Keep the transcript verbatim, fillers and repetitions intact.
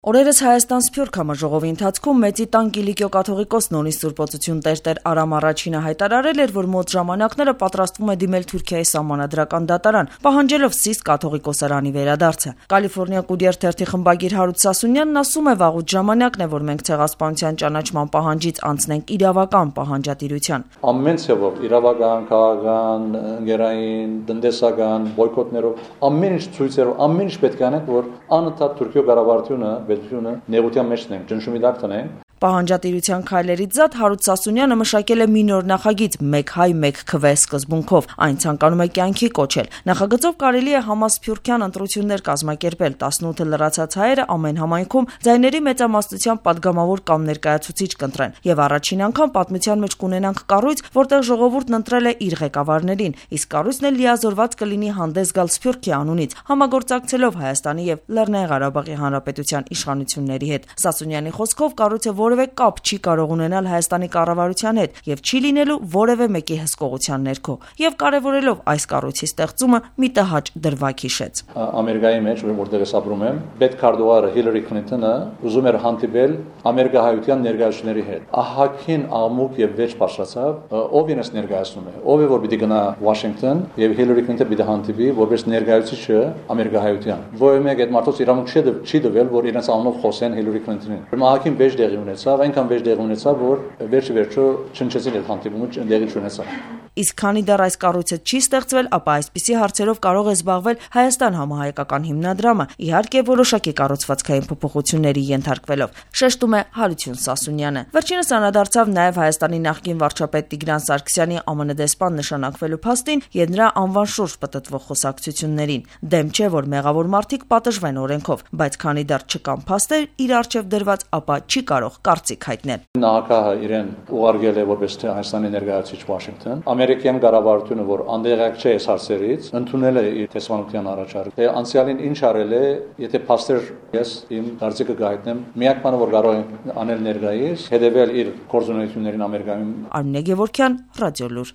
Օրերս Հայաստան Սփյուռք համաժողովի ընթացքում Մեծի տան Կիլիկիո կաթողիկոս Նորի Սուրբ Օծություն Տեր-Տեր Արամ Առաջինը հայտարարել էր, որ մոտ ժամանակները պատրաստվում է դիմել Թուրքիայի սահմանադրական դատարան, պահանջելով Սիսք կաթողիկոսարանի վերադարձը։ Կալիֆոռնիա Կուրիեր թերթի խմբագիր Հարութ Սասունյանն ասում է, վաղուց ժամանակն է, որ մենք ցեղասպանության ճանաչման պահանջից անցնենք իրավական պահանջատիրության։ Ամեն ցևով իրավական, քաղաքական, ընկերային, տնտեսական բոյկոտներով, ամեն ինչ ցույցերով, ամեն ինչ պետք է անենք, որ անընդհատ Թուրքիո կառավարությունը Պետությունը նեղության մեջ ենք, ճնշումի տակ տնենք։ Պահանջատիրության քայլերից զատ Հարութ Սասունյանը մշակել է մի նոր նախագիծ «Մեկ հայ, մեկ քվե» սկզբունքով։ Այն ցանկանում է կյանքի կոչել։ Նախագծով կարելի է համասփյուռքյան ընտրություններ կազմակերպել։ տասնութ լրացած հայերը ամեն համայնքում ձայների մեծամասնության падգամավոր կամ ներկայացուցիչ կընտրեն։ Եվ առաջին անգամ պատմության մեջ կունենանք կառույց, որտեղ ժողովուրդն ընտրել է իր ղեկավարներին, իսկ կառույցն էլ լիազորված կլինի հանդես գալ Սփյուռքի անունից, համագործակցելով Հայաստանի եւ Լեռնային Ղարաբաղի Հանրապետության իշխանությունների հետ։ Սասունյանի խոսքով կառույցը որևէ կապ չի կարող ունենալ Հայաստանի կառավարության հետ եւ չի լինելու որևէ մեկի հսկողության ներքո, եւ կարեւորելով այս կառույցի ստեղծումը մի տհաճ դրվագ հիշեց։ Ամերիկայի մեջ, որտեղ ես ապրում եմ, պետքարտուղարը Հիլարի Քլինտոնը ուզում էր հանդիպել ամերիկահայության ներկայացուցիչների հետ։ Ահագին աղմուկ եւ վեճ բարձրացավ, ով ինձ ներկայացնում է, ով է որ պիտի գնա Վաշինգտոն եւ Հիլարի Քլինտոնը պիտի հանդիպի որպես ներկայացուցիչը ամերիկահայության։ Որևէ մեկ այդ մարդոց իրավունք չի դվել, որ իրենց անունով խոսեն Հիլարի Քլինտոնին։ Ահագին վեճ դեղի ունեցավ, այնքան վեճ դեղի ունեցավ, որ վերջի վերջո չնչեցին այդ հանդիպումը, դեղի չունեցավ։ Իսկ քանի դեռ այս կառույցը չի ստեղծվել, ապա այսպիսի հարցերով կարող է զբաղվել Հայաստան համահայկական հիմնադրամը, իհարկե որոշակի կառուցվածքային փոփոխությունների ենթարկվելով, շեշտում է Հարություն Սասունյանը։ Վերջինս անդրադարձավ նաև Հայաստանի նախկին վարչապետ Տիգրան Սարգսյանի Է Մը Նե դեսպան նշանակվելու փաստին եւ նրա անվան շուրջ պտտվող խոսակցություններին։ Դեմ չէ, որ մեղավոր մարդիկ պատժվեն օրենքով, բայց քանի դեռ չկան փաստեր իր առջև դրված, ապա չի կարող կարծիք հայտնել։ Նախագահը իրեն ուղարկել է որպես Հայաստանի ներկայացուցիչ Վաշինգտոն։ Ամերիկյան կառավարությունը, որ անդեղակ չէ այս հարցերից, ընդունել է իր տեսանության առաջարկը։ Թե անցյալին ինչ արել է, եթե փաստեր ես իմ կարծիքը կհայտնեմ, միակ բանը որ կարող է անել ներկայիս, հետևել իր գործունեություններին Ամերիկայում։ Արմինե Գևորգյան, Ռադիոլուր։